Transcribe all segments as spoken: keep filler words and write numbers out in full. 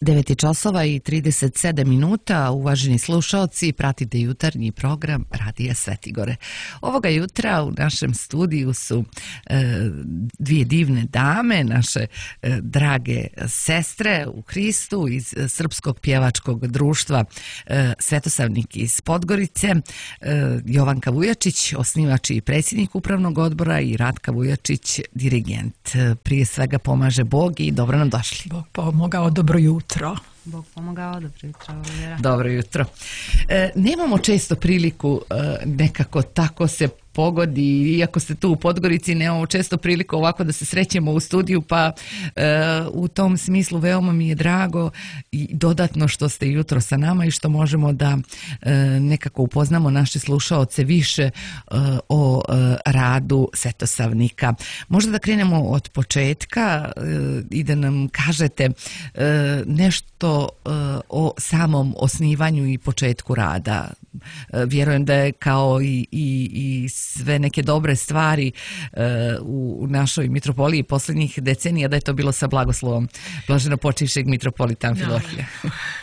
devet časova i trideset sedam minuta, uvaženi slušaoci, pratite jutarnji program Radija Svetigore. Ovoga jutra u našem studiju su e, dvije divne dame, naše e, drage sestre u Hristu iz Srpskog pjevačkog društva e, Svetosavnik iz Podgorice, e, Jovanka Vujačić, osnivač i predsjednik upravnog odbora, i Ratka Vujačić, dirigent. E, prije svega pomaže Bog i dobro nam došli. Bog pomogao, dobro jutro. Bog pomogao, dobro jutro. Vera. Dobro jutro. E, nemamo često priliku e, nekako tako se pogodi, iako ste tu u Podgorici, nemamo često priliku ovako da se srećemo u studiju, pa e, u tom smislu veoma mi je drago i dodatno što ste jutro sa nama i što možemo da e, nekako upoznamo naše slušaoce više e, o e, radu Svetosavnika. Možda da krenemo od početka e, i da nam kažete e, nešto e, o samom osnivanju i početku rada. E, vjerujem da je kao i, i, i sve neke dobre stvari e, u našoj mitropoliji posljednjih decenija, da je to bilo sa blagoslovom blaženo počivšeg mitropolita Amfilohija.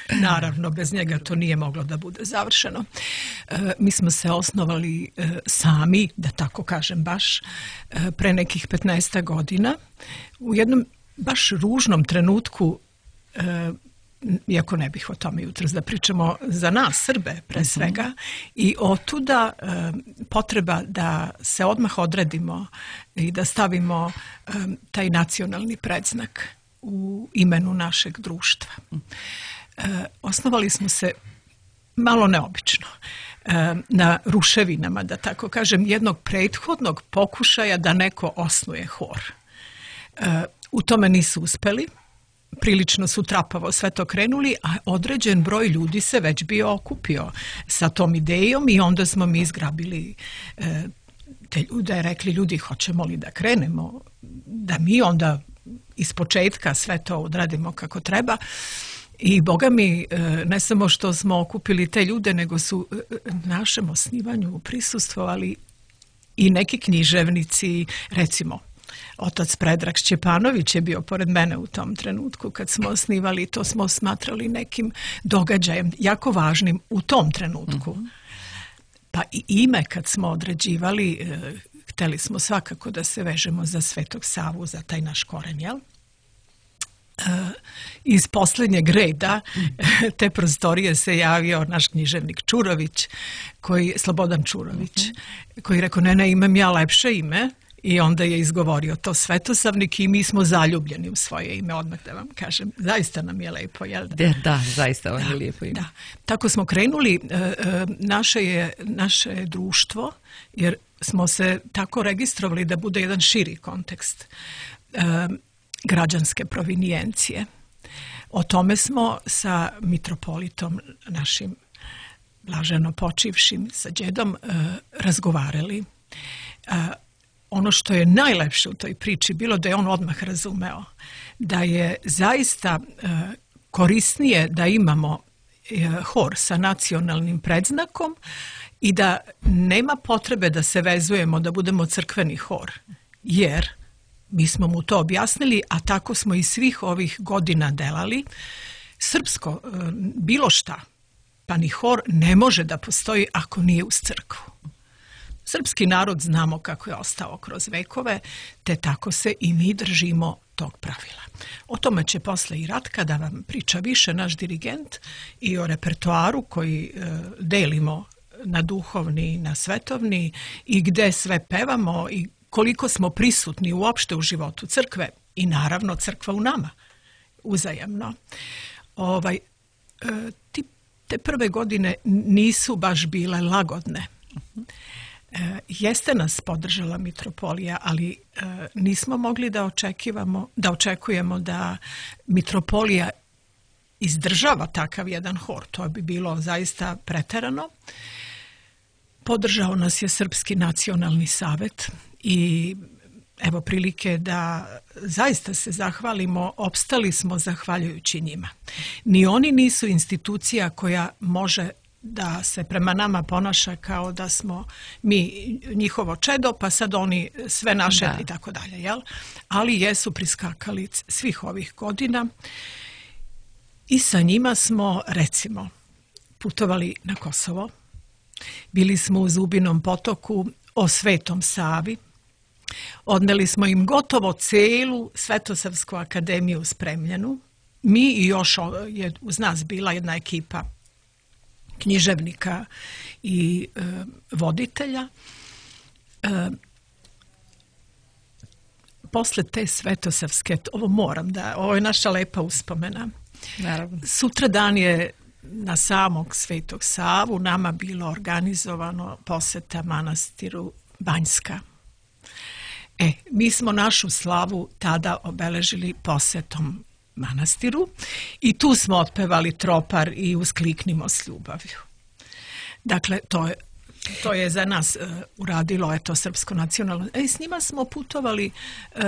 Naravno. Naravno, bez njega to nije moglo da bude završeno. E, mi smo se osnovali e, sami, da tako kažem baš, e, pre nekih petnaest godina, u jednom baš ružnom trenutku, e, iako ne bih o tome jutros, da pričamo za nas, Srbe, pre svega, uh-huh. i otuda e, potreba da se odmah odredimo i da stavimo e, taj nacionalni predznak u imenu našeg društva. E, osnovali smo se malo neobično, e, na ruševinama, da tako kažem, jednog prethodnog pokušaja da neko osnuje hor. E, u tome nisu uspeli. Prilično su trapavo sve to krenuli, a određen broj ljudi se već bio okupio sa tom idejom i onda smo mi izgrabili e, te ljude, rekli ljudi, hoćemo li da krenemo, da mi onda iz početka sve to odradimo kako treba. I Boga mi, ne samo što smo okupili te ljude, nego su našem osnivanju prisustvovali i neki književnici, recimo otac Predrag Šćepanović je bio pored mene u tom trenutku kad smo osnivali, to smo smatrali nekim događajem jako važnim u tom trenutku. Mm-hmm. Pa i ime kad smo određivali, e, hteli smo svakako da se vežemo za Svetog Savu, za taj naš koren, jel? E, iz posljednjeg reda te prostorije se javio naš književnik Čurović, koji, Slobodan Čurović, mm-hmm. koji rekao, ne, ne, imam ja lepše ime. I onda je izgovorio to Svetosavnik i mi smo zaljubljeni u svoje ime, odmah da vam kažem. Zaista nam je lepo, jel da? Da, da zaista vam je lijepo ime. Da. Tako smo krenuli, naše je naše društvo, jer smo se tako registrovali da bude jedan širi kontekst građanske provinijencije. O tome smo sa mitropolitom našim blaženo počivšim, sa đedom, razgovarali. Ono što je najlepše u toj priči bilo da je on odmah razumeo da je zaista e, korisnije da imamo e, hor sa nacionalnim predznakom i da nema potrebe da se vezujemo da budemo crkveni hor, jer mi smo mu to objasnili, a tako smo i svih ovih godina delali. Srpsko, e, bilo šta, pa ni hor ne može da postoji ako nije uz crkvu. Srpski narod znamo kako je ostao kroz vekove, te tako se i mi držimo tog pravila. O tome će posle i Ratka da vam priča više, naš dirigent, i o repertoaru koji e, delimo na duhovni i na svetovni i gde sve pevamo i koliko smo prisutni uopšte u životu crkve i naravno crkva u nama, uzajamno. Ovaj, e, ti, te prve godine nisu baš bile lagodne. E, jeste nas podržala mitropolija, ali e, nismo mogli da očekivamo, da očekujemo da mitropolija izdržava takav jedan hor. To bi bilo zaista preterano. Podržao nas je Srpski nacionalni savet i evo prilike da zaista se zahvalimo, opstali smo zahvaljujući njima. Ni oni nisu institucija koja može da se prema nama ponaša kao da smo mi njihovo čedo, pa sad oni sve naše da. I tako dalje, jel? Ali jesu priskakali svih ovih godina I sa njima smo, recimo, putovali na Kosovo, bili smo u Zubinom potoku, o Svetom Savi, odneli smo im gotovo celu Svetosavsku akademiju spremljenu. Mi i još je uz nas bila jedna ekipa književnika i e, voditelja. E, posle te Svetosavske, ovo moram da, ovo je naša lepa uspomena. Naravno. Sutra dan je na samog Svetog Savu nama bilo organizovano poseta manastiru Banjska. E, mi smo našu slavu tada obeležili posetom manastiru i tu smo otpevali Tropar i Uskliknimo s ljubavlju. Dakle, to je, to je za nas uh, uradilo eto Srpsko nacionalno. E, s njima smo putovali, uh,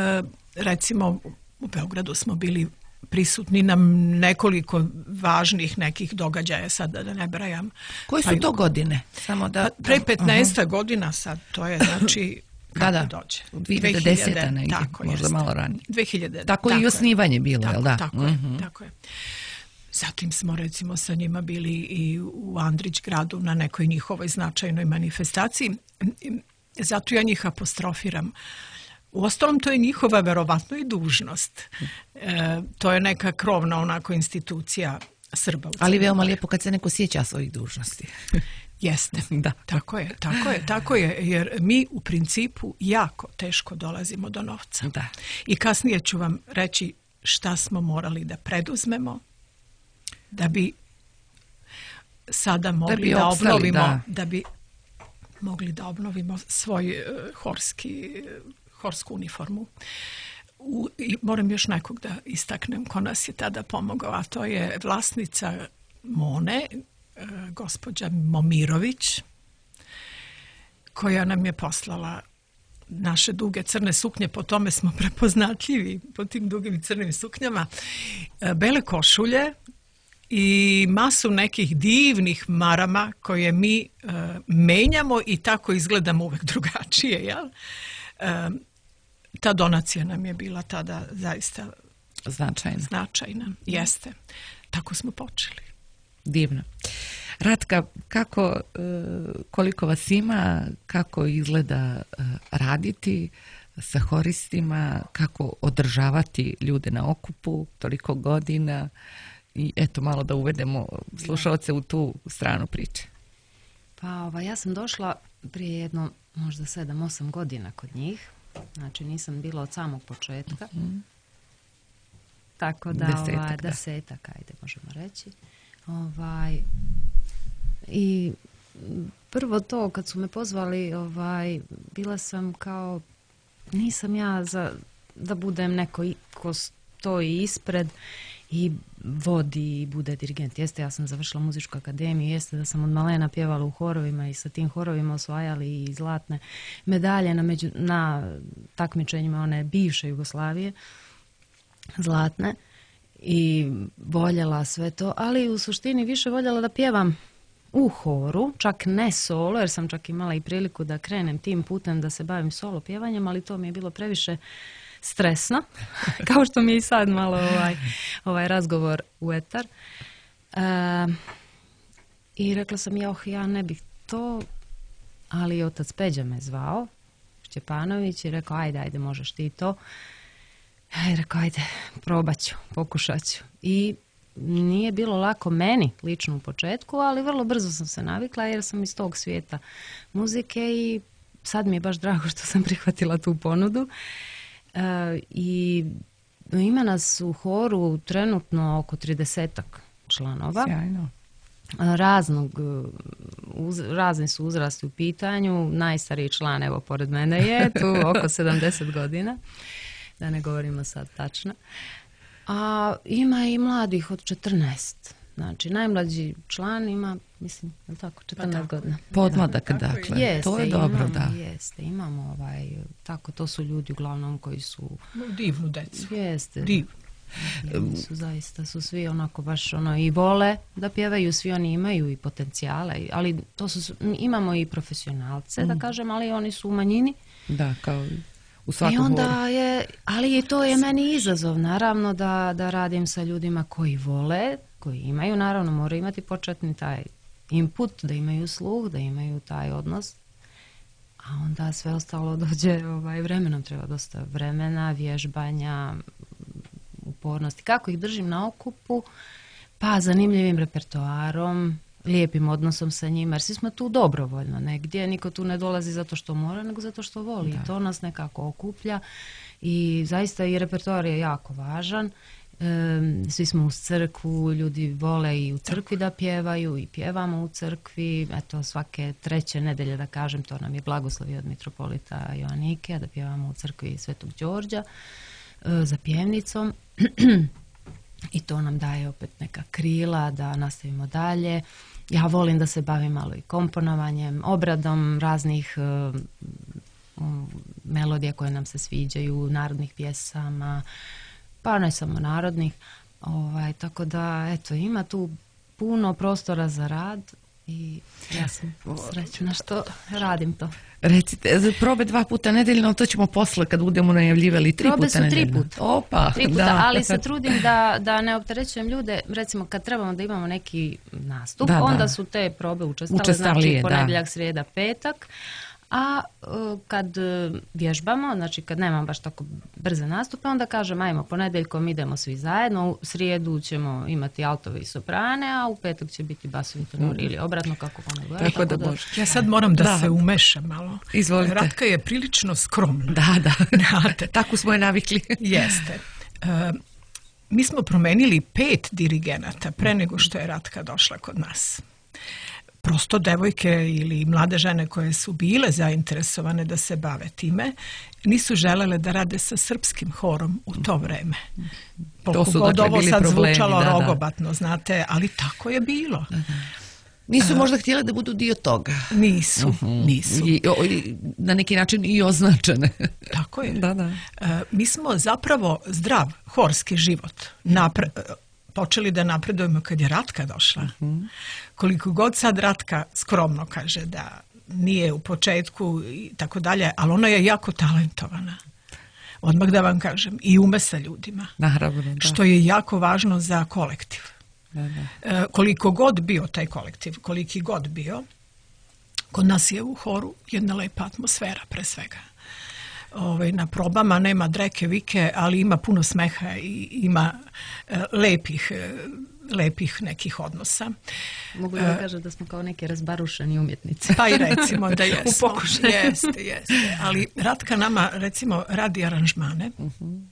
recimo u Beogradu smo bili prisutni na nekoliko važnih nekih događaja, sad da ne brajam. Koje su pa, to godine? Samo da, pre petnaest godina sad, to je znači kako da, da. dođe. dvije hiljade desete negdje, možda jest. malo ranije. dvije hiljade Tako, tako i osnivanje bilo, tako, jel da? Tako, mm-hmm. je, tako je. Zatim smo recimo sa njima bili i u Andrić gradu na nekoj njihovoj značajnoj manifestaciji. Zato ja njih apostrofiram. Uostalom, to je njihova verovatno i dužnost. E, to je neka krovna onako institucija Srba. Ali veoma lijepo kad se neko sjeća svojih dužnosti. Jeste, da. Tako je, tako je, tako je, jer mi u principu jako teško dolazimo do novca. Da. I kasnije ću vam reći šta smo morali da preduzmemo da bi sada mogli da, bi da opstali, obnovimo, da. da bi mogli da obnovimo svoj uh, horski, uh, horsku uniformu. U, i moram još nekog da istaknem ko nas je tada pomogao, a to je vlasnica Mone, gospođa Momirović, koja nam je poslala naše duge crne suknje, po tome smo prepoznatljivi, po tim dugim crnim suknjama, bele košulje i masu nekih divnih marama koje mi uh, menjamo i tako izgledamo uvek drugačije. Jel? Uh, ta donacija nam je bila tada zaista značajna. Značajna, jeste. Tako smo počeli. Divno. Ratka, kako, koliko vas ima, kako izgleda raditi sa horistima, kako održavati ljude na okupu toliko godina i eto malo da uvedemo slušalce u tu stranu priče. Pa ova, ja sam došla prije jedno možda sedam, osam godina kod njih, znači nisam bila od samog početka, mm-hmm. tako da desetak, ovaj, da. desetak, ajde možemo reći. Ovaj, i prvo to kad su me pozvali, ovaj, bila sam kao, nisam ja za da budem neko ko stoji ispred i vodi i bude dirigent. Jeste, ja sam završila muzičku akademiju, jeste da sam od malena pjevala u horovima i sa tim horovima osvajali i zlatne medalje na, među, na takmičenjima one bivše Jugoslavije, zlatne. I voljela sve to, ali u suštini više voljela da pjevam u horu, čak ne solo, jer sam čak imala i priliku da krenem tim putem da se bavim solo pjevanjem, ali to mi je bilo previše stresno, kao što mi je i sad malo ovaj, ovaj razgovor u etar. E, I rekla sam, ja, oh, ja ne bih to, ali otac Peđa me zvao, Šćepanović, i rekao, ajde, ajde, možeš ti to. Ja rekao, ajde, probat ću, pokušat ću. I nije bilo lako meni, lično u početku, ali vrlo brzo sam se navikla jer sam iz tog svijeta muzike i sad mi je baš drago što sam prihvatila tu ponudu. E, I ima nas u horu trenutno oko tridesetak članova. Sjajno. Raznog, uz, razni su uzrasti u pitanju. Najstariji član, evo, pored mene je tu oko sedamdeset godina. Da ne govorimo sad tačno. A ima i mladih od četrnaest. Znači, najmlađi član ima, mislim, je tako, četrnaest godina. Podmladak, dakle. Jeste, to je dobro, imamo, da. Jeste, imamo ovaj, tako, to su ljudi uglavnom koji su... Divnu decu. Jeste. Divnu. Su zaista, su svi onako baš ono i vole da pjevaju, svi oni imaju i potencijale, ali to su, imamo i profesionalce, mm. da kažem, ali oni su u manjini. Da, kao... I onda je, ali i to je meni izazov, naravno, da, da radim sa ljudima koji vole koji imaju, naravno moraju imati početni taj input, da imaju sluh, da imaju taj odnos, a onda sve ostalo dođe ovaj, vremenom, treba dosta vremena, vježbanja, upornosti. Kako ih držim na okupu? Pa zanimljivim repertoarom, lijepim odnosom sa njima, jer svi smo tu dobrovoljno negdje, niko tu ne dolazi zato što mora, nego zato što voli. Da. I to nas nekako okuplja i zaista i repertoar je jako važan. E, svi smo uz crkvu, ljudi vole i u crkvi da pjevaju i pjevamo u crkvi. Eto, svake treće nedelje, da kažem, to nam je blagoslovi od mitropolita Joanike, da pjevamo u crkvi Svetog Đorđa e, za pjevnicom. I to nam daje opet neka krila da nastavimo dalje. Ja volim da se bavim malo i komponovanjem, obradom raznih uh, um, melodija koje nam se sviđaju, narodnih pjesama, pa ne samo narodnih. Ovaj, tako da, eto, ima tu puno prostora za rad i ja sam srećna što radim to. Recite, probe dva puta nedeljno, to ćemo posle kad budemo najavljivali tri probe puta nedeljno. Probe su tri puta. Opa, tri puta, da. Ali se trudim da, da ne opterećujem ljude, recimo kad trebamo da imamo neki nastup, da, onda da. su te probe učestale, Učestalije, znači ponedjeljak, srijeda, petak, a uh, kad vježbamo, znači kad nemam baš tako brze nastupe, onda kažem ajmo ponedjeljkom idemo svi zajedno, u srijedu ćemo imati altove i soprane, a u petak će biti basovi tenori mm. ili obratno kako ono gleda. Tako, tako da, da ja sad moram da, da. se umešam malo. Izvolite. Ratka je prilično skromna. Da, da. Tako smo je navikli. Jeste. Uh, mi smo promenili pet dirigenata pre nego što je Ratka došla kod nas. Prosto devojke ili mlade žene koje su bile zainteresovane da se bave time, nisu želele da rade sa srpskim horom u to vreme. To su god dakle ovo bili sad problemi, zvučalo da, rogobatno, da. Znate, ali tako je bilo. Da, da. Nisu možda htjele da budu dio toga. Nisu, uh-huh. nisu. I, o, i, na neki način i označene. Tako je. Da, da. Uh, mi smo zapravo zdrav horski život napre, počeli da napredujemo kad je Ratka došla. Uh-huh. Koliko god sad Ratka skromno kaže da nije u početku i tako dalje, ali ona je jako talentovana. Odmah da vam kažem. I ume sa ljudima. Naravno, da. Što je jako važno za kolektiv. Da, da. E, koliko god bio taj kolektiv, koliki god bio, kod nas je u horu jedna lepa atmosfera pre svega. Ove, na probama nema dreke vike, ali ima puno smeha i ima e, lepih, e, lepih nekih odnosa. Mogu da kažem da smo kao neki razbarušeni umjetnici. Pa i recimo da jesmo. U pokušaju. Jeste, jeste. Ali Ratka nama recimo radi aranžmane. Uh-huh.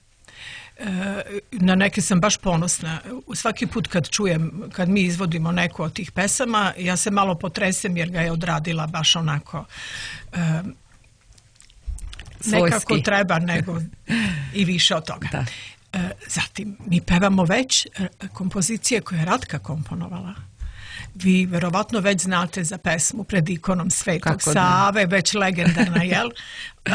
Na neke sam baš ponosna. Svaki put kad čujem, kad mi izvodimo neku od tih pesama, ja se malo potresem jer ga je odradila baš onako um, nekako treba, nego i više od toga. Da. Zatim, mi pevamo već kompozicije koje je Ratka komponovala. Vi verovatno već znate za pesmu Pred ikonom Svetog Save, već legendarna, jel? Uh,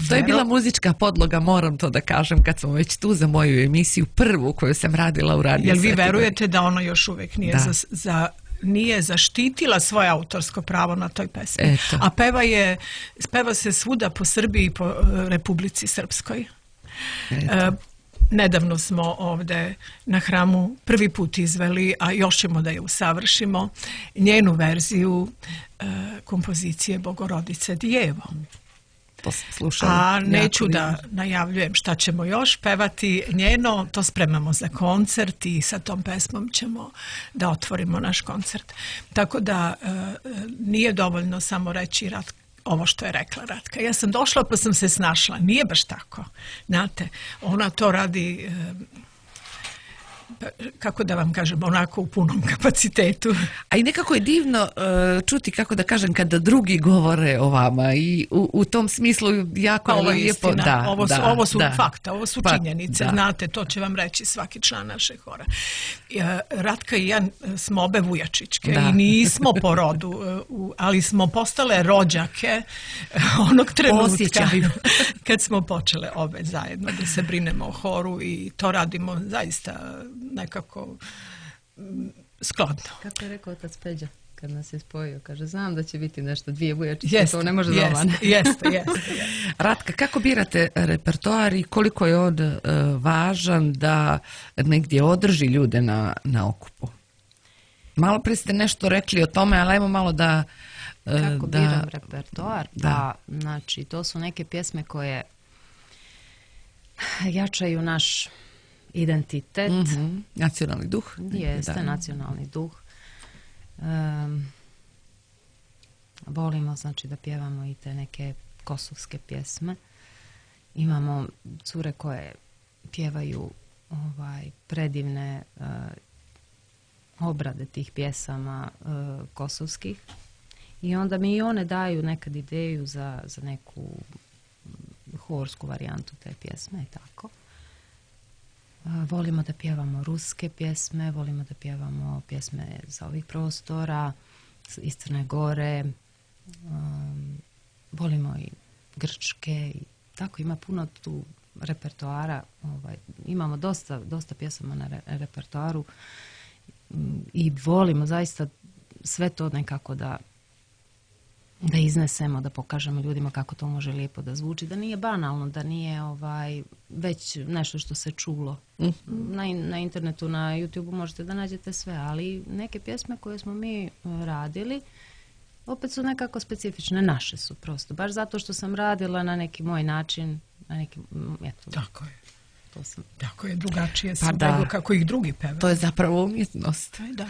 to je bila muzička podloga, moram to da kažem, kad smo već tu za moju emisiju, prvu koju sam radila u radiju. Jel vi verujete da ona još uvijek nije za, za nije zaštitila svoje autorsko pravo na toj pesmi? Eto. A peva je, peva se svuda po Srbiji i po uh, Republici Srpskoj. Eto. Uh, Nedavno smo ovdje na hramu prvi put izveli, a još ćemo da je usavršimo, njenu verziju e, kompozicije Bogorodice Djevo. To sam slušala. A neću da najavljujem šta ćemo još pevati njeno, to spremamo za koncert i sa tom pesmom ćemo da otvorimo naš koncert. Tako da e, nije dovoljno samo reći Ratka, ovo što je rekla Ratka. Ja sam došla pa sam se snašla. Nije baš tako. Znate, ona to radi, kako da vam kažem, onako u punom kapacitetu. A i nekako je divno uh, čuti, kako da kažem, kada drugi govore o vama i u, u tom smislu jako pa, ovo je lijepo. Da, ovo su, da, ovo su da. fakta, ovo su pa, činjenice. Da. Znate, to će vam reći svaki član našeg hora. Ratka i ja smo obe Vujačićke da. I nismo po rodu, ali smo postale rođake onog trenutka Osjećaju. Kad smo počele obe zajedno da se brinemo o horu i to radimo zaista nekako skladno. Kako je rekao otac Peđa? kad nas je spojio. Kaže, znam da će biti nešto, dvije bujačice, to ne može jest, doma. Jeste, jeste, jeste. Ratka, kako birate repertoar i koliko je on uh, važan da negdje održi ljude na, na okupu? Malo prije ste nešto rekli o tome, ali ajmo malo da... Uh, kako da, biram repertoar? Da. Pa, znači, to su neke pjesme koje jačaju naš identitet. Mm-hmm. Nacionalni duh. Jeste, da. Nacionalni duh. Um, volimo, znači, da pjevamo i te neke kosovske pjesme. Imamo cure koje pjevaju ovaj, predivne uh, obrade tih pjesama uh, kosovskih. I onda mi i one daju nekad ideju za, za neku horsku varijantu te pjesme i tako. Volimo da pjevamo ruske pjesme, volimo da pjevamo pjesme za ovih prostora, iz Crne Gore, um, volimo i grčke i tako, ima puno tu repertoara, ovaj, imamo dosta, dosta pjesama na re, repertoaru um, i volimo zaista sve to nekako da da iznesemo, da pokažemo ljudima kako to može lijepo da zvuči, da nije banalno, da nije ovaj već nešto što se čulo. Mm-hmm. Na, na internetu, na YouTubeu možete da nađete sve, ali neke pjesme koje smo mi radili opet su nekako specifične, naše su prosto. Baš zato što sam radila na neki moj način, na neki, eto. Tako je. To sam... Tako je, drugačije su pa da. nego kako ih drugi pevaju. To je zapravo umjetnost. Da.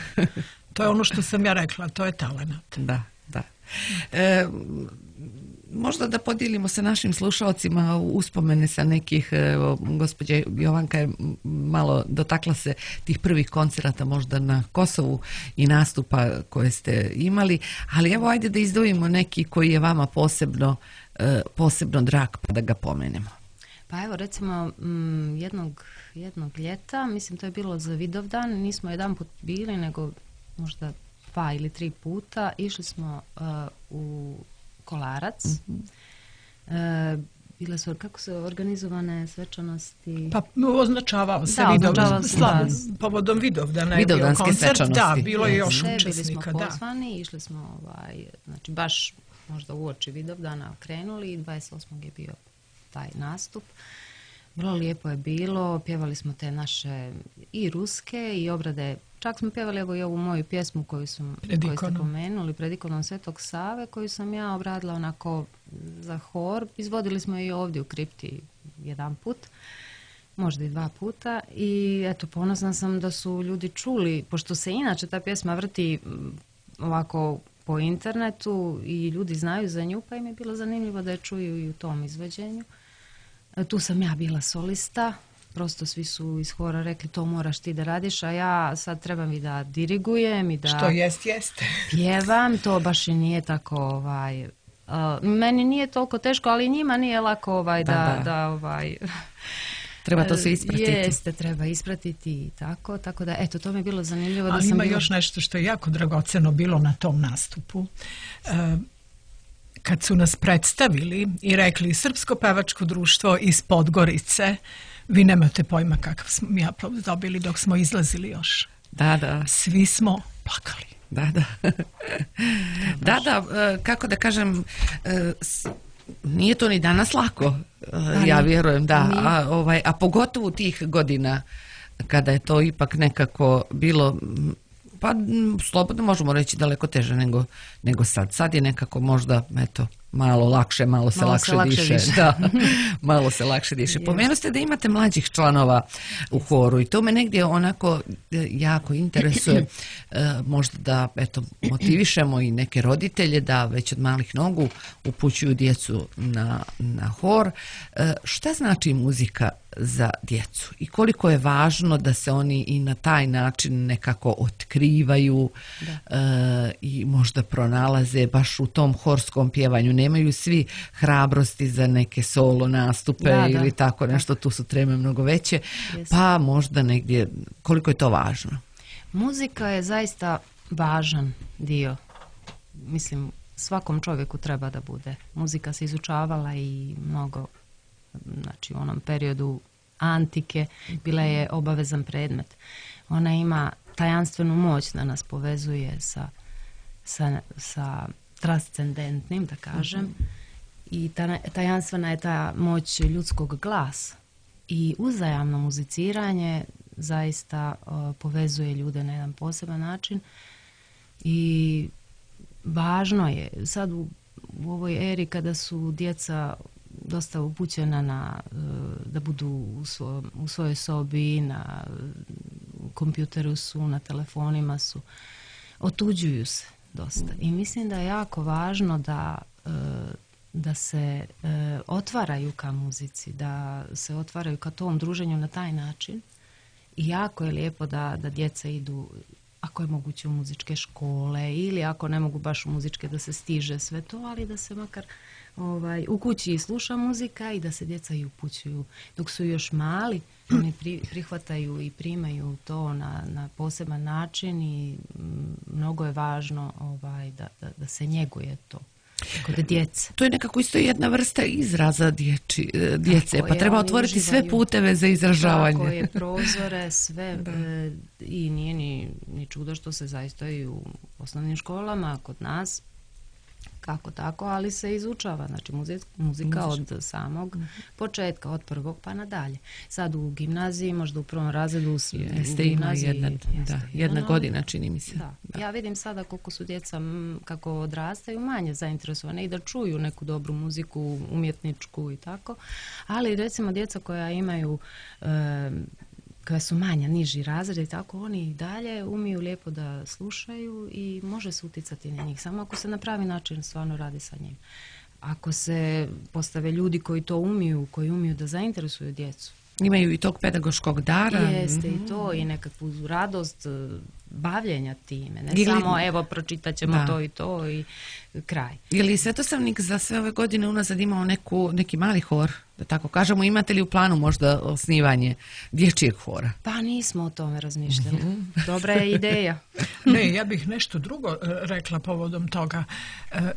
To je ono što sam ja rekla, to je talenat. Da, da. E, možda da podijelimo sa našim slušalcima uspomene sa nekih, evo, gospođa Jovanka je malo dotakla se tih prvih koncerata možda na Kosovu i nastupa koje ste imali, ali evo ajde da izdvojimo neki koji je vama posebno, posebno drag pa da ga pomenemo. Pa evo recimo m, jednog, jednog ljeta, mislim to je bilo za Vidovdan, nismo jedan put bili nego možda dva ili tri puta, išli smo uh, u Kolarac. Mm-hmm. Uh, bile su, kako su organizovane svečanosti? Pa označavao se da, Vidovdan, se, slav, povodom Vidovdana je bio koncert. Da, bilo je još Sve, učesnika. Bili smo pozvani, išli smo ovaj, znači baš možda uoči Vidovdana krenuli i dvadeset osmog je bio taj nastup. Vrlo lijepo je bilo, pjevali smo te naše i ruske i obrade, čak smo pjevali evo i ovu moju pjesmu koju, sam, koju ste pomenuli, pred ikonom Svetog Save, koju sam ja obradila onako za hor. Izvodili smo i ovdje u kripti jedan put, možda i dva puta i eto ponosna sam da su ljudi čuli, pošto se inače ta pjesma vrti ovako po internetu i ljudi znaju za nju, pa im je bilo zanimljivo da je čuju i u tom izvođenju. Tu sam ja bila solista, prosto svi su iz hora rekli to moraš ti da radiš, a ja sad trebam i da dirigujem i da što jest, jeste. Pjevam, to baš i nije tako ovaj, uh, meni nije toliko teško, ali njima nije lako ovaj, da, da, da, da ovaj, treba to se ispratiti. Jeste, treba ispratiti i tako, tako da eto, to mi je bilo zanimljivo. Ali da sam ima bila... još nešto što je jako dragoceno bilo na tom nastupu. Uh, kad su nas predstavili i rekli Srpsko pevačko društvo iz Podgorice, vi nemate pojma kakav smo mi aplauz dobili dok smo izlazili još. Da, da. Svi smo plakali. Da, da. Da, da, kako da kažem, nije to ni danas lako, ja vjerujem, da, a, ovaj, a pogotovo tih godina kada je to ipak nekako bilo, pa slobodno možemo reći daleko teže nego, nego sad. Sad je nekako možda, eto, malo lakše, malo se, malo lakše, se lakše diše. Da, malo se lakše diše. Pomenuli ste da imate mlađih članova u horu i to me negdje onako jako interesuje. Možda da, eto, motivišemo i neke roditelje da već od malih nogu upućuju djecu na, na hor. Šta znači muzika za djecu i koliko je važno da se oni i na taj način nekako otkrivaju uh, i možda pronalaze baš u tom horskom pjevanju. Nemaju svi hrabrosti za neke solo nastupe da, ili da. tako nešto, tu su treme mnogo veće, yes. pa možda negdje koliko je to važno. Muzika je zaista važan dio, mislim svakom čovjeku treba da bude. Muzika se izučavala i mnogo, znači u onom periodu antike bila je obavezan predmet. Ona ima tajanstvenu moć da nas povezuje sa sa, sa transcendentnim, da kažem, mm-hmm. i ta, tajanstvena je ta moć ljudskog glasa i uzajamno muziciranje zaista uh, povezuje ljude na jedan poseban način i važno je sad u, u ovoj eri kada su djeca dosta upućena na uh, da budu u, svo, u svojoj sobi, na kompjuteru su, na telefonima su, otuđuju se dosta i mislim da je jako važno da uh, da se uh, otvaraju ka muzici, da se otvaraju ka tom druženju na taj način. I jako je lijepo da, da djeca idu, ako je moguće, u muzičke škole ili ako ne mogu baš u muzičke da se stiže sve to, ali da se makar ovaj, u kući sluša muzika i da se djeca i upućuju. Dok su još mali, oni pri, prihvataju i primaju to na, na poseban način i m, mnogo je važno ovaj, da, da, da se njeguje to. Kod djece. To je nekako isto jedna vrsta izraza dječi, djece, pa treba otvoriti sve puteve za izražavanje. Tako je, prozore, sve e, i nije ni, ni čudo što se zaista i u osnovnim školama kod nas kako tako, ali se izučava, znači muzika, muzika od samog mm-hmm. početka, od prvog pa nadalje. Sad u gimnaziji, možda u prvom razredu jeste, u gimnaziji jedna, jeste, da, jedna no, godina čini mi se. Da. Da. Ja vidim sada koliko su djeca m, kako odrastaju manje zainteresovane i da čuju neku dobru muziku, umjetničku i tako, ali recimo djeca koja imaju e, koja su manja, niži razred i tako, oni i dalje umiju lijepo da slušaju i može se uticati na njih, samo ako se na pravi način stvarno radi sa njim. Ako se postave ljudi koji to umiju, koji umiju da zainteresuju djecu. Imaju i tog pedagoškog dara. Jeste mm-hmm. i to i nekakvu radost bavljenja time. Ne ili, samo evo pročitat ćemo da. to i to i kraj. Je li Svetosavnik za sve ove godine unazad imao neku, neki mali hor, da tako kažemo? Imate li u planu možda osnivanje dječjeg hora? Pa nismo o tome razmišljali. Mm-hmm. Dobra je ideja. Ne, ja bih nešto drugo rekla povodom toga.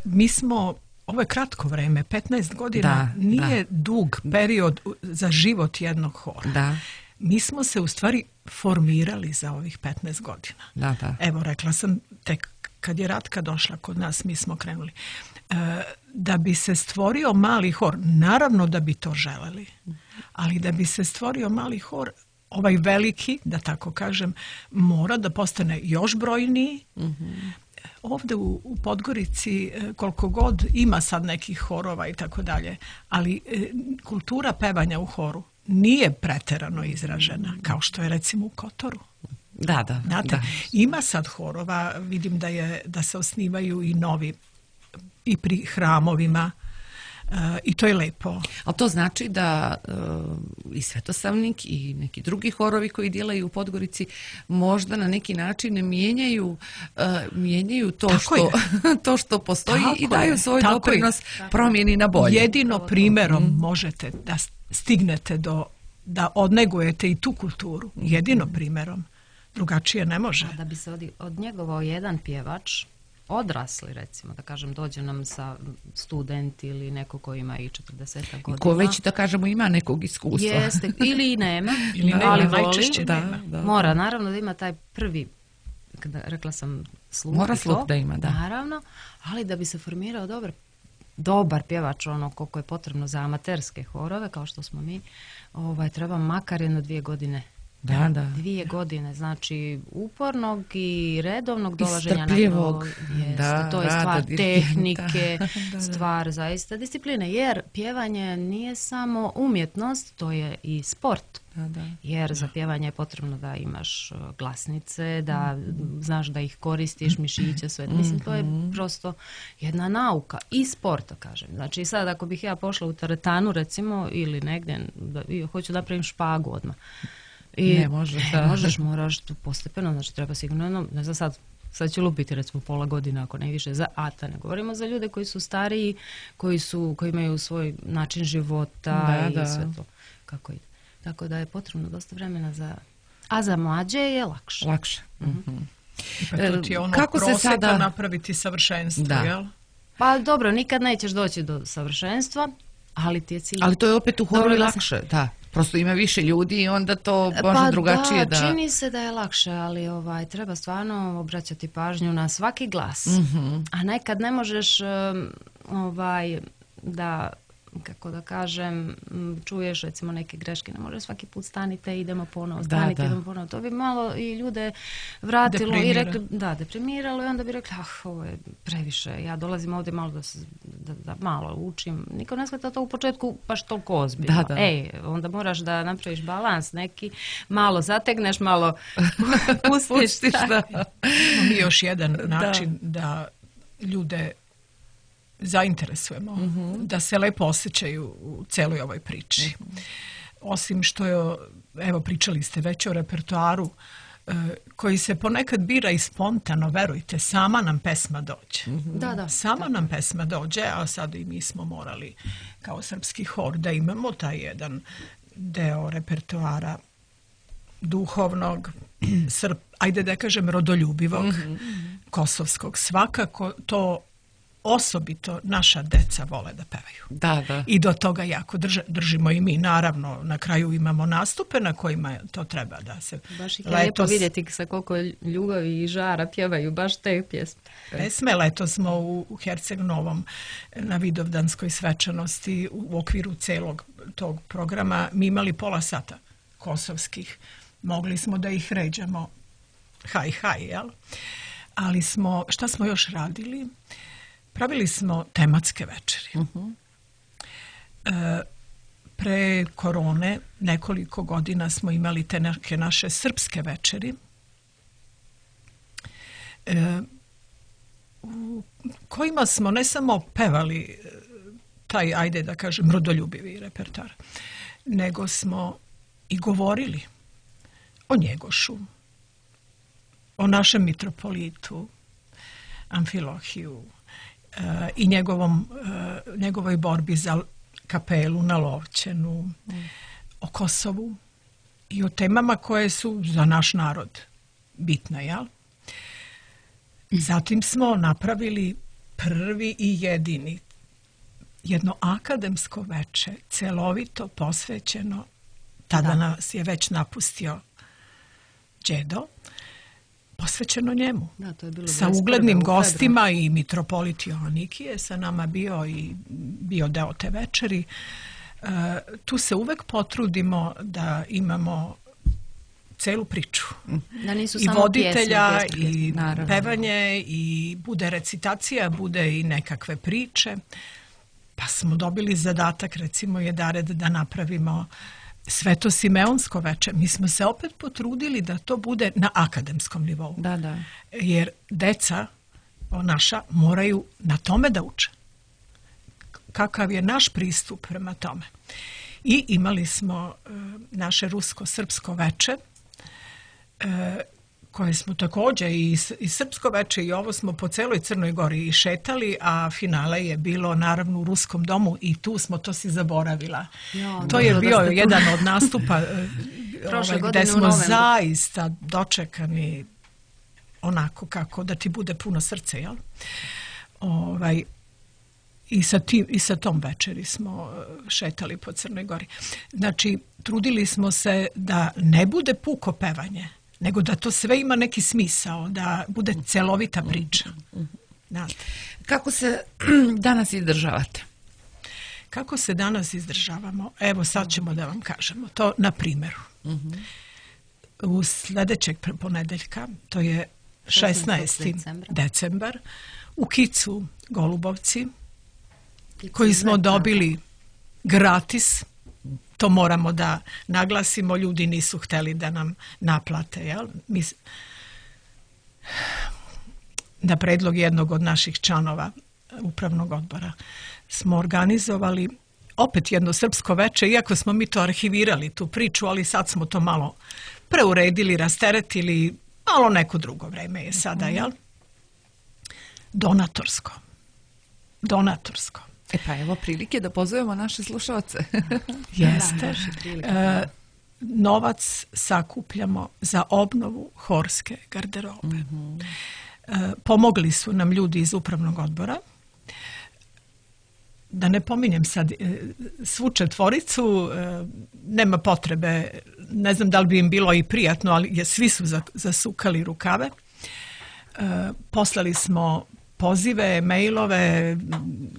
Mi smo ovo je kratko vreme, petnaest godina da, nije da. dug period za život jednog hora. Da. Mi smo se u stvari formirali za ovih petnaest godina. Da, da. Evo, rekla sam, tek kad je Ratka došla kod nas, mi smo krenuli. E, da bi se stvorio mali hor, naravno da bi to želeli, ali da bi se stvorio mali hor, ovaj veliki, da tako kažem, mora da postane još brojniji. Mm-hmm. Ovdje u, u Podgorici koliko god ima sad nekih horova i tako dalje, ali e, kultura pevanja u horu nije preterano izražena, kao što je recimo u Kotoru. Da, da. Znate, da. Ima sad horova, vidim da, je, da se osnivaju i novi i pri hramovima. Uh, i to je lepo. Ali to znači da uh, i Svetosavnik i neki drugi horovi koji djelaju u Podgorici možda na neki način mijenjaju, uh, mijenjaju to, što, to što postoji tako i daju svoj doprinos promjeni na bolje. Jedino primjerom mm. možete da stignete do, da odnegujete i tu kulturu. Jedino primjerom. Drugačije ne može. Da bi se od, odnjegovao jedan pjevač, odrasli recimo, da kažem, dođe nam sa student ili neko ko ima i četrdeset godina. Ko već, da kažemo, ima nekog iskustva. Jeste, ili i nema, ili da, nema, ali voli. Da, nema. Da. Mora, naravno da ima taj prvi, kada rekla sam sluh. Mora sluh da ima, da. Naravno, ali da bi se formirao dobar, dobar pjevač, ono koliko je potrebno za amaterske horove, kao što smo mi, ovaj, treba makar jedno dvije godine. Da, da. Dvije godine, znači upornog i redovnog dolaženja na to. Da, to je stvar tehnike, da, da, da. stvar zaista discipline, jer pjevanje nije samo umjetnost, to je i sport. Da, da. Jer za pjevanje je potrebno da imaš glasnice, da mm-hmm. znaš da ih koristiš, mišiće, sve. Mm-hmm. Mislim, to je prosto jedna nauka i sport, kažem. Znači sad ako bih ja pošla u teretanu recimo ili negdje, da, hoću da napravim špagu odmah. I ne možeš, da. možeš, moraš tu postepeno, znači treba sigurno, ne znam sad, sad će lupiti recimo pola godina ako ne više za ata, ne govorimo za ljude koji su stariji, koji su, koji imaju svoj način života da, i da. sve to kako ide. Tako da je potrebno dosta vremena za, a za mlađe je lakše. Lakše. Mm-hmm. Pa to ti je ono kako proseka se sada napraviti savršenstvo, da. Jel? Pa dobro, nikad nećeš doći do savršenstva, ali ti je cilj. Ali to je opet u horu lakše, da. prosto ima više ljudi i onda to može pa drugačije da... Pa čini se da je lakše, ali ovaj, treba stvarno obraćati pažnju na svaki glas. Mm-hmm. A nekad ne možeš ovaj, da, kako da kažem, čuješ recimo neke greške, ne možeš svaki put stanite, idemo ponovo, stanite, idemo ponovo. To bi malo i ljude vratilo i rekli, da, deprimiralo i onda bi rekli, ah, ovo je previše, ja dolazim ovdje malo da, se, da, da malo učim. Niko ne shvata to u početku baš toliko ozbiljno. Da, da. Ej, onda moraš da napraviš balans neki, malo zategneš, malo pustiš. Da. Imamo još jedan način da, da ljude zainteresujemo, mm-hmm. da se lepo osjećaju u celoj ovoj priči. Mm-hmm. Osim što je, evo pričali ste već o repertoaru e, koji se ponekad bira i spontano, verujte, sama nam pesma dođe. Mm-hmm. Da, da. Sama da. nam pesma dođe, a sad i mi smo morali kao srpski hor da imamo taj jedan deo repertoara duhovnog, srp, ajde da kažem rodoljubivog, mm-hmm. kosovskog. Svakako to osobito naša deca vole da pevaju. Da, da. I do toga jako drže, držimo i mi. Naravno, na kraju imamo nastupe na kojima to treba da se... Baš ih je lijepo vidjeti sa koliko ljubavi i žara pjevaju baš te pjesme. Pesme, leto smo u, u Herceg Novom na Vidovdanskoj svečanosti u okviru celog tog programa mi imali pola sata kosovskih. Mogli smo da ih ređamo haj, haj, jel? Ali smo, šta smo još radili? Pravili smo tematske večeri. Uh-huh. E, pre korone nekoliko godina smo imali te neke naše srpske večeri e, u kojima smo ne samo pevali taj, ajde da kažem, rodoljubivi repertoar, nego smo i govorili o Njegošu, o našem mitropolitu Amfilohiju, i njegovom, njegovoj borbi za kapelu na Lovćenu, mm. o Kosovu i o temama koje su za naš narod bitne, jel? Zatim smo napravili prvi i jedini jedno akademsko veče, celovito posvećeno, tada da. nas je već napustio đedo, posvećeno njemu. Da, to je bilo sa uglednim gostima i mitropolit Joannikije je sa nama bio i bio deo te večeri. E, tu se uvek potrudimo da imamo celu priču. Da nisu I samo voditelja, pjesme, pjesme, i naravno. pevanje, i bude recitacija, bude i nekakve priče. Pa smo dobili zadatak, recimo, Jedared da napravimo Sveto Simeonsko veče. Mi smo se opet potrudili da to bude na akademskom nivou. Da, da. Jer deca naša moraju na tome da uče. Kakav je naš pristup prema tome. I imali smo e, naše rusko-srpsko veče, e, koje smo također i, i srpsko veče i ovo smo po celoj Crnoj Gori i šetali, a finale je bilo naravno u Ruskom domu i tu smo, to si zaboravila. Ja, to je bio jedan od nastupa ovaj, gdje smo zaista dočekani onako kako da ti bude puno srce, jel? Ovaj, i, sa tim, i sa tom večeri smo šetali po Crnoj Gori. Znači, trudili smo se da ne bude puko pevanje, nego da to sve ima neki smisao, da bude celovita priča. Znate. Kako se danas izdržavate? Kako se danas izdržavamo? Evo, sad ćemo da vam kažemo. To na primjeru. Uh-huh. U sljedećeg ponedeljka, to je šesnaesti decembar, u Kicu Golubovci, Kicu koji smo dobili gratis. To moramo da naglasimo, ljudi nisu hteli da nam naplate. Jel? Mi, na predlog jednog od naših članova upravnog odbora smo organizovali opet jedno srpsko veče, iako smo mi to arhivirali, tu priču, ali sad smo to malo preuredili, rasteretili, malo neko drugo vreme je sada, jel? Donatorsko. Donatorsko. E pa evo prilike da pozovemo naše slušalce. Jeste. E, novac sakupljamo za obnovu horske garderobe. Mm-hmm. E, pomogli su nam ljudi iz upravnog odbora. da ne pominjem sad svu četvoricu, nema potrebe, ne znam da li bi im bilo i prijatno, ali svi su zasukali rukave. Poslali smo pozive, mailove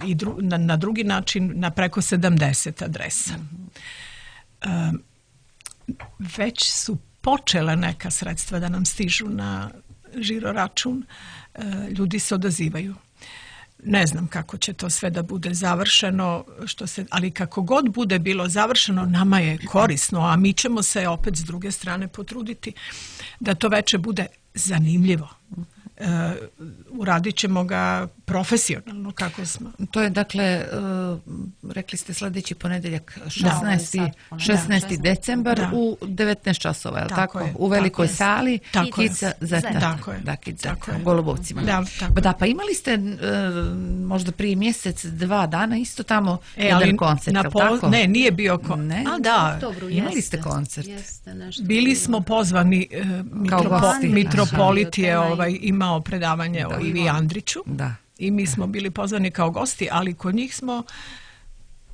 i dru, na, na drugi način na preko sedamdeset adresa. Mm-hmm. Već su počele neka sredstva da nam stižu na žiro račun. Ljudi se odazivaju. Ne znam kako će to sve da bude završeno, što se, ali kako god bude bilo završeno, nama je korisno, a mi ćemo se opet s druge strane potruditi da to veče bude zanimljivo. Uh, uradit ćemo ga profesionalno kako smo. To je dakle, uh, rekli ste sljedeći ponedjeljak šesnaesti decembar da. U devetnaest časova, je li tako? tako? U velikoj tako sali Kica Zeta. Tako je. Da, Kica Zeta, u Golubovcima. Da, pa da, pa imali ste uh, možda prije mjesec, dva dana isto tamo e, jedan koncert, na pol, tako? Ne, nije bio koncert. Ne, a da, oktobru, imali jeste, ste koncert. Jeste, bili smo pozvani, uh, mitropo, mitropolit je ovaj, imao predavanje da. O Ivi Andriću. Da. I mi smo bili pozvani kao gosti, ali kod njih smo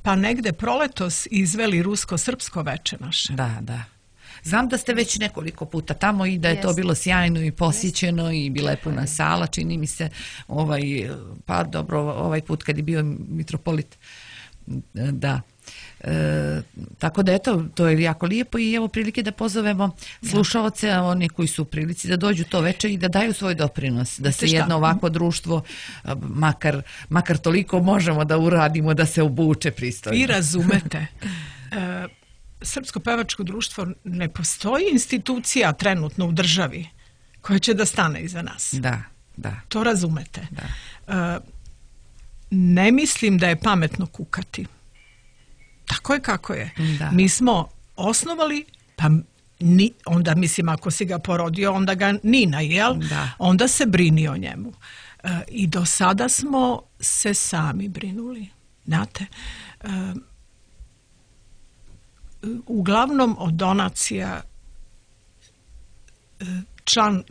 pa negde proletos izveli rusko-srpsko veče naše. Da, da. Znam da ste već nekoliko puta tamo i da je Jest. To bilo sjajno i posjećeno i bila je puna sala, čini mi se, ovaj, pa dobro, ovaj put kad je bio mitropolit, da. E, tako da eto, to je jako lijepo i evo prilike da pozovemo slušaoce, oni koji su u prilici da dođu to veče i da daju svoj doprinos, da se jedno ovako društvo makar, makar toliko možemo da uradimo da se obuče pristojno. Vi razumete, e, Srpsko pevačko društvo ne postoji institucija trenutno u državi koja će da stane iza nas. Da, da. To razumete. Da. E, ne mislim da je pametno kukati. Tako je kako je. Da. Mi smo osnovali, pa ni, onda mislim ako si ga porodio, onda ga nina, jel? Da. Onda se brini o njemu. E, I do sada smo se sami brinuli. Znate, e, uglavnom od donacija e, član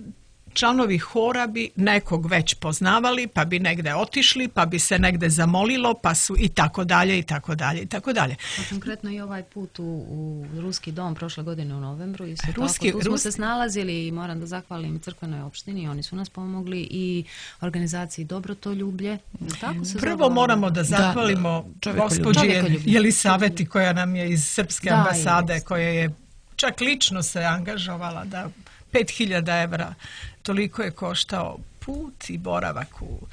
članovi hora bi nekog već poznavali, pa bi negde otišli, pa bi se negde zamolilo, pa su i tako dalje, i tako dalje, i tako dalje. A konkretno i ovaj put u, u Ruski dom prošle godine u novembru, isto Ruski, tako, tu smo Rus... se snalazili i moram da zahvalim crkvenoj opštini, oni su nas pomogli i organizaciji Dobrotoljublje. Tako se Prvo zove, moramo da zahvalimo da, gospođi Jelisaveti koja nam je iz Srpske da, ambasade, jest. Koja je čak lično se angažovala da pet hiljada evra toliko je koštao put i boravak u...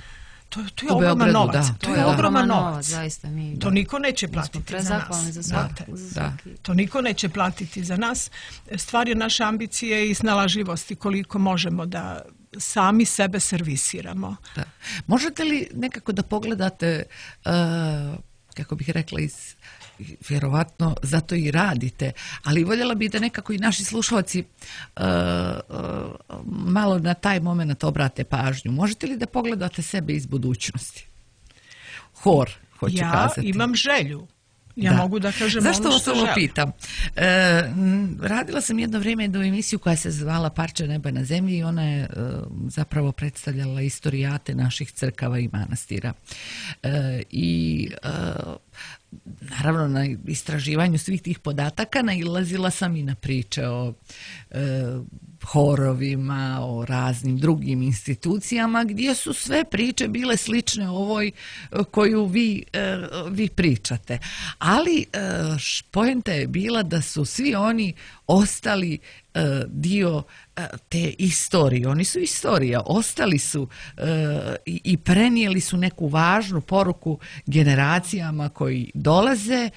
To, to je ogroman novac. Da, to, to je da. ogroman novac. Zaista, mi, to niko neće platiti za nas. Za svaki, za svaki. To niko neće platiti za nas. Stvar je naše ambicije i snalažljivosti koliko možemo da sami sebe servisiramo. Da. Možete li nekako da pogledate, uh, kako bih rekla, iz... vjerovatno zato i radite, ali voljela bih da nekako i naši slušalci uh, uh, malo na taj moment obrate pažnju. Možete li da pogledate sebe iz budućnosti? Hor, hoću ja kazati. Ja imam želju. Ja da. Mogu da kažem Zašto ono što vas ovo pitam? E, radila sam jedno vrijeme jednu emisiju koja se zvala Parče neba na zemlji i ona je e, zapravo predstavljala istorijate naših crkava i manastira. E, I e, naravno na istraživanju svih tih podataka nailazila sam i na priče o e, horovima, o raznim drugim institucijama gdje su sve priče bile slične ovoj koju vi, e, vi pričate. Ali e, poenta je bila da su svi oni ostali e, dio e, te istorije. Oni su istorija, ostali su e, i, i prenijeli su neku važnu poruku generacijama koji dolaze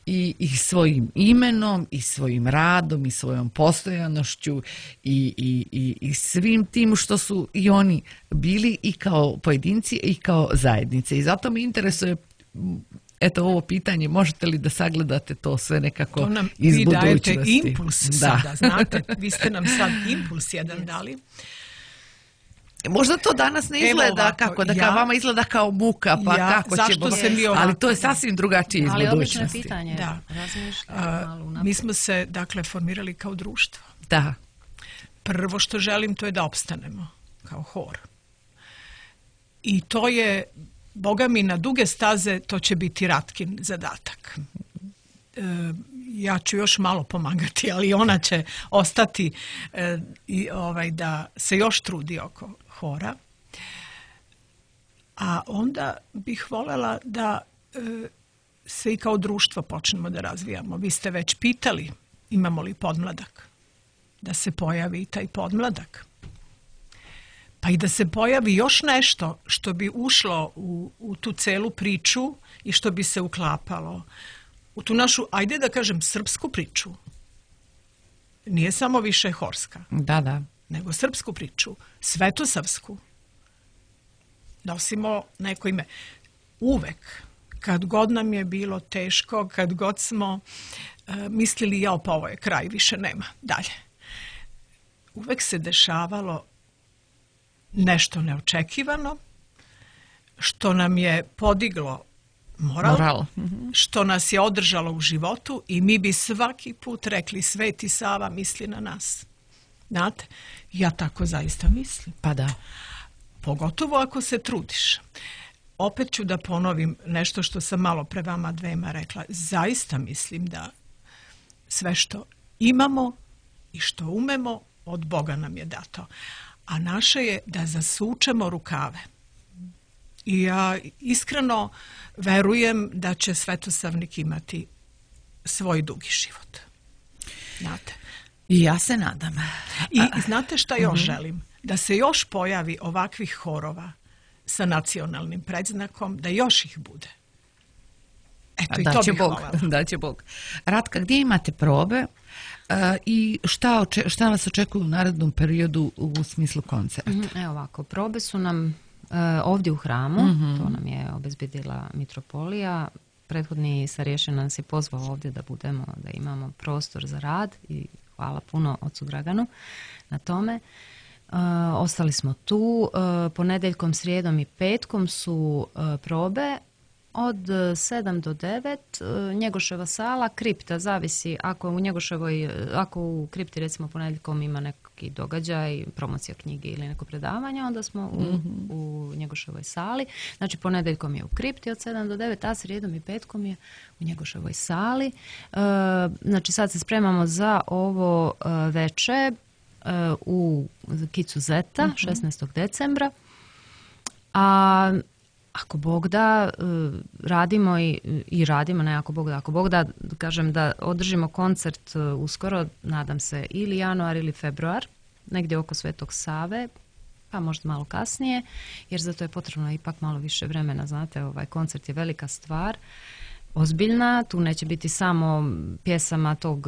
i, i svojim imenom i svojim radom i svojom postojanošću i, i, i, i svim tim što su i oni bili i kao pojedinci i kao zajednice. I zato me interesuje eto ovo pitanje, možete li da sagledate to sve nekako to nam, iz vi budućnosti? Vi dajete impuls da. Sada, znate, vi ste nam sad impuls jedan dali. Možda to danas ne izgleda ovako, kako, da ja, kao vama izgleda kao muka, pa ja, kako ćemo, se mi ovako, ali to je sasvim drugačije iz ali budućnosti. Ali obično pitanje, da. Uh, mi smo se, dakle, formirali kao društvo. Da. Prvo što želim to je da opstanemo kao hor. I to je Boga mi, na duge staze to će biti Ratkin zadatak. E, ja ću još malo pomagati, ali ona će ostati e, i ovaj, da se još trudi oko hora. A onda bih voljela da e, se i kao društvo počnemo da razvijamo. Vi ste već pitali imamo li podmladak, da se pojavi i taj podmladak. Pa i da se pojavi još nešto što bi ušlo u, u tu celu priču i što bi se uklapalo u tu našu, ajde da kažem, srpsku priču. Nije samo više horska. Da, da. Nego srpsku priču, svetosavsku. Nosimo neko ime. Uvek, kad god nam je bilo teško, kad god smo uh, mislili, jao, pa ovo je kraj, više nema, dalje. Uvek se dešavalo nešto neočekivano, što nam je podiglo moral, moral. što nas je održalo u životu i mi bi svaki put rekli Sveti Sava misli na nas. Znate, ja tako zaista mislim. Pa da. Pogotovo ako se trudiš. Opet ću da ponovim nešto što sam malo pre vama dvema rekla. Zaista mislim da sve što imamo i što umemo od Boga nam je dato. A naše je da zasučemo rukave. I ja iskreno verujem da će Svetosavnik imati svoj dugi život. Znate. I ja se nadam. I znate šta još uh-huh. želim? Da se još pojavi ovakvih horova sa nacionalnim predznakom, da još ih bude. Eto, i to bih voljela. Da će Bog. Ratka, gdje imate probe uh, i šta, oče, šta vas očekuju u narednom periodu u smislu koncerta? Mm-hmm. Evo ovako, probe su nam uh, ovdje u hramu, mm-hmm. to nam je obezbedila mitropolija. Prethodni starješina nas je pozvao ovdje da budemo, da imamo prostor za rad i hvala puno ocu Draganu na tome. Uh, ostali smo tu. Uh, ponedeljkom, srijedom i petkom su uh, probe od sedam do devet. Uh, Njegoševa sala, kripta, zavisi ako u Njegoševoj, ako u kripti recimo ponedeljkom ima neki događaj, promocija knjige ili neko predavanje, onda smo u, mm-hmm. u Njegoševoj sali. Znači ponedeljkom je u kripti od sedam do devet, a srijedom i petkom je u Njegoševoj sali. Uh, znači sad se spremamo za ovo uh, veče u Kicu Zeta, mm-hmm. šesnaestog decembra. A ako Bog da, radimo i, i radimo, ne ako Bog da, ako Bog da, kažem da održimo koncert uskoro, nadam se, ili januar ili februar, negdje oko Svetog Save, pa možda malo kasnije, jer za to je potrebno ipak malo više vremena, znate, ovaj koncert je velika stvar, ozbiljna, tu neće biti samo pjesama tog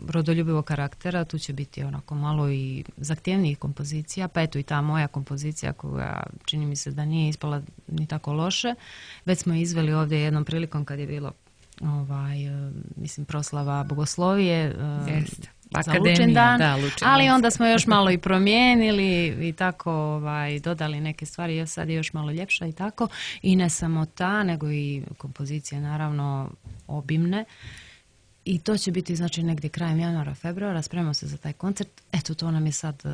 rodoljubivog karaktera, tu će biti onako malo i zahtjevnijih kompozicija, pa eto i ta moja kompozicija koja čini mi se da nije ispala ni tako loše. Već smo izveli ovdje jednom prilikom kad je bilo ovaj, mislim, proslava bogoslovije Jest. za Lučindan, da, Lučindan, ali onda smo još malo i promijenili i tako ovaj, dodali neke stvari, ja sad je još malo ljepša i tako. I ne samo ta, nego i kompozicije naravno obimne. I to će biti znači negdje krajem januara, februara, spremamo se za taj koncert. Eto, to nam je sad uh,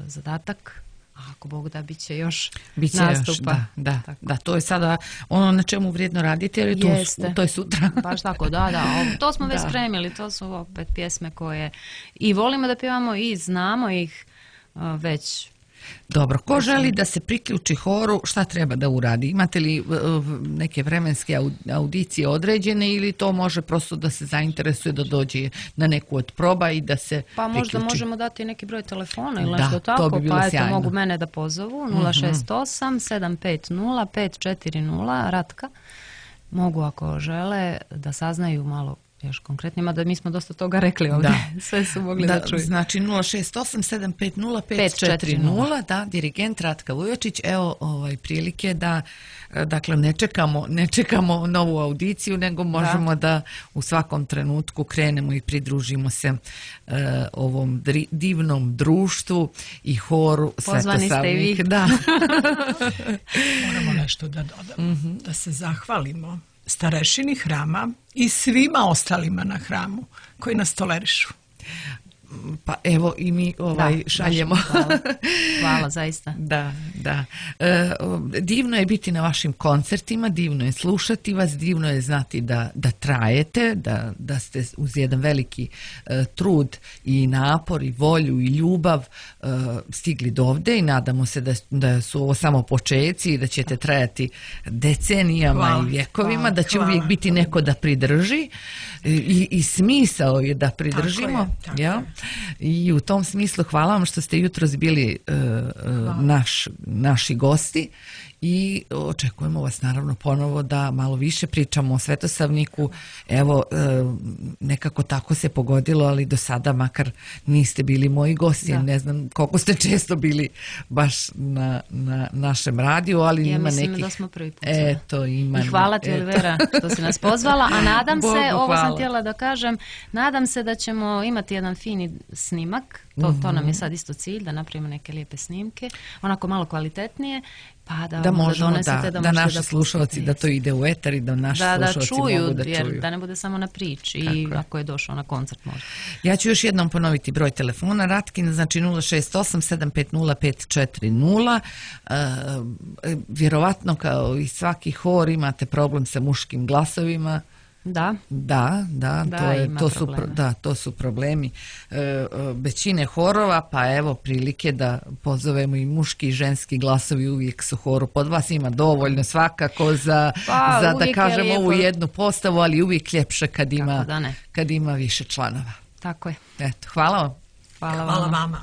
zadatak. A ako Bog da, bit će još Biće nastupa. Još, da, da, da, to je sada ono na čemu vrijedno radite, jer to, to je sutra. Baš tako, da, da. To smo već da. spremili, to su opet pjesme koje i volimo da pjevamo i znamo ih uh, već. Dobro, ko želi da se priključi horu, šta treba da uradi? Imate li uh, neke vremenske audicije određene ili to može prosto da se zainteresuje da dođe na neku od proba i da se Pa priključi? možda možemo dati neki broj telefona ili da, nešto tako, bi pa sjajno. eto mogu mene da pozovu nula šest osam sedam pet nula pet četiri nula Ratka. Mogu ako žele da saznaju malo još konkretnima, da mi smo dosta toga rekli ovdje. Da. Sve su mogli da, da čuju. Znači nula šest osam sedam pet nula pet četiri nula, da, dirigent Ratka Vujočić. Evo ovaj prilike da dakle ne čekamo, ne čekamo novu audiciju, nego možemo da, da u svakom trenutku krenemo i pridružimo se uh, ovom dri, divnom društvu i horu Pozvani ste i vi. Da. Moramo nešto da dodamo, mm-hmm. da se zahvalimo starešini hrama i svima ostalima na hramu koji nas tolerišu. Pa evo i mi ovaj da, šaljemo. Hvala. Hvala zaista. Da, Da. E, divno je biti na vašim koncertima, divno je slušati vas, divno je znati da, da trajete, da, da ste uz jedan veliki e, trud i napor i volju i ljubav e, stigli do ovde i nadamo se da, da su ovo samo počeci i da ćete trajati decenijama hvala, i vjekovima, hvala, da će hvala. Uvijek biti neko da pridrži i, i smisao je da pridržimo. Tako je, tako ja? I u tom smislu hvala vam što ste jutros bili e, naš, naši gosti i očekujemo vas naravno ponovo da malo više pričamo o Svetosavniku. Evo, nekako tako se pogodilo, ali do sada makar niste bili moji gosti. Da. Ne znam koliko ste često bili baš na, na našem radiju, ali ja ima nekih... Ja mislim da smo prvi put. Eto, ima... I hvala ti, Olivera, što si nas pozvala, a nadam Bogu, se, ovo hvala. Sam htjela da kažem, nadam se da ćemo imati jedan fini snimak. To, to nam je sad isto cilj, da napravimo neke lijepe snimke, onako malo kvalitetnije, pa da, da možemo donesete, da, da, da naši da slušalci, da to ide u etar i da naši da, slušalci da čuju, mogu da čuju. Jer da ne bude samo na priči i je. Ako je došao na koncert možda. Ja ću još jednom ponoviti broj telefona Ratkin, znači nula šest osam sedam pet nula pet četiri nula. Uh, vjerovatno kao i svaki hor imate problem sa muškim glasovima. Da. Da, da, da, to, je, to, su, da to su problemi e, većine horova, pa evo prilike da pozovemo i muški i ženski glasovi uvijek su horu. Pod vas ima dovoljno svakako za, pa, za da kažemo ovu jednu postavu, ali uvijek ljepše kad ima, da kad ima više članova. Tako je. Eto, hvala vam. Hvala, hvala vama. vama.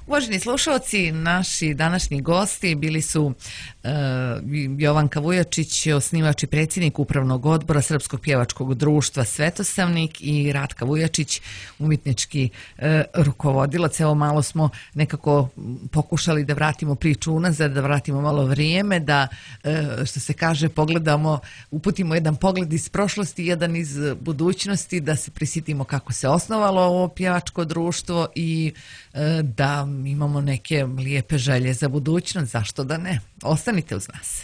Uvaženi slušalci, naši današnji gosti bili su uh, Jovanka Vujačić, osnivač i predsjednik Upravnog odbora Srpskog pjevačkog društva Svetosavnik i Ratka Vujačić, umjetnički uh, rukovodilac. Evo malo smo nekako pokušali da vratimo priču unazad, da vratimo malo vrijeme, da uh, što se kaže pogledamo, uputimo jedan pogled iz prošlosti, jedan iz budućnosti, da se prisjetimo kako se osnovalo ovo pjevačko društvo i uh, da imamo neke lijepe želje za budućnost, zašto da ne? Ostanite uz nas.